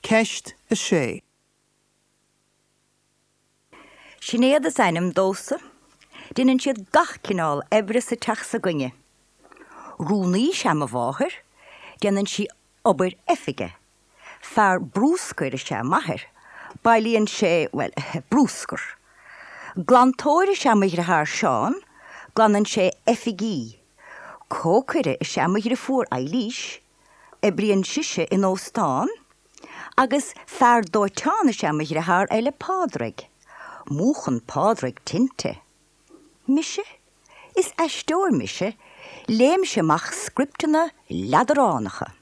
Ceist 6. Sinéad is ainm domhsa. Déanann siad gach cineál oibre sa teach s'againne. Rúnaí is ea mo mháthair, déanann sí obair oifige. Fear brúscair is ea m'athair, bailíonn sé, bhuel, brúscar. Glantóir is ea mo dhriotháir Seán, glanann sé oifigí. Cócaire is ea mo dhriofúr Eilís, oibríonn sise in óstán. Agus fear dóiteáin is ea mo dhriotháir eile Pádraig. Múchann Pádraig tinte. Mise? Is aisteoir mise, léimse amach scripteanna leadránacha.